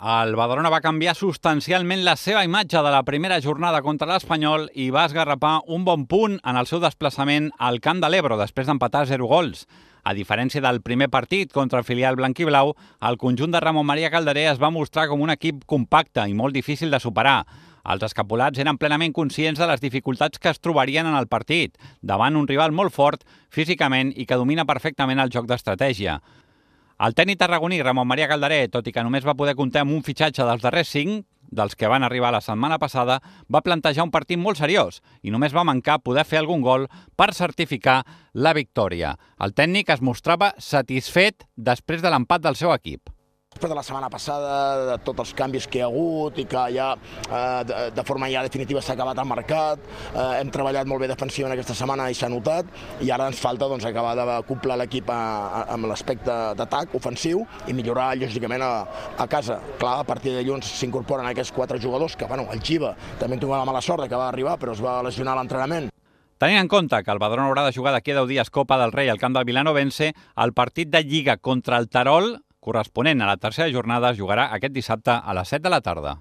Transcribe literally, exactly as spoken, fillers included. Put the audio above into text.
El Badalona va canviar substancialment la seva imatge de la primera jornada contra l'Espanyol i va esgarrapar un bon punt en el seu desplaçament al Camp de l'Ebro després d'empatar zero gols. A diferència del primer partit contra el filial blanquiblau, el conjunt de Ramon Maria Calderé es va mostrar com un equip compacte i molt difícil de superar. Els escapulats eren plenament conscients de les dificultats que es trobarien en el partit, davant un rival molt fort físicament i que domina perfectament el joc d'estratègia. El tècnic tarragoní Ramon Maria Calderé, tot i que només va poder comptar amb un fitxatge dels darrers cinc, dels que van arribar la setmana passada, va plantejar un partit molt seriós i només va mancar poder fer algun gol per certificar la victòria. El tècnic es mostrava satisfet després de l'empat del seu equip. Després de la setmana passada, de tots els canvis que hi ha hagut i que ja eh, de forma ja definitiva s'ha acabat el mercat, eh, hem treballat molt bé defensivament aquesta setmana i s'ha notat, i ara ens falta doncs, acabar d'acoplar l'equip amb l'aspecte d'atac ofensiu i millorar lògicament a, a casa. Clar, a partir de dilluns s'incorporen aquests quatre jugadors que, bueno, el Giva també en tinc la mala sort que va arribar però es va lesionar a l'entrenament. Tenint en compte que el Badalona haurà de jugar d'aquí a deu dies Copa del Rei al camp del Vilanovense, el partit de Lliga contra el Terol corresponent a la tercera jornada es jugarà aquest dissabte a les set de la tarda.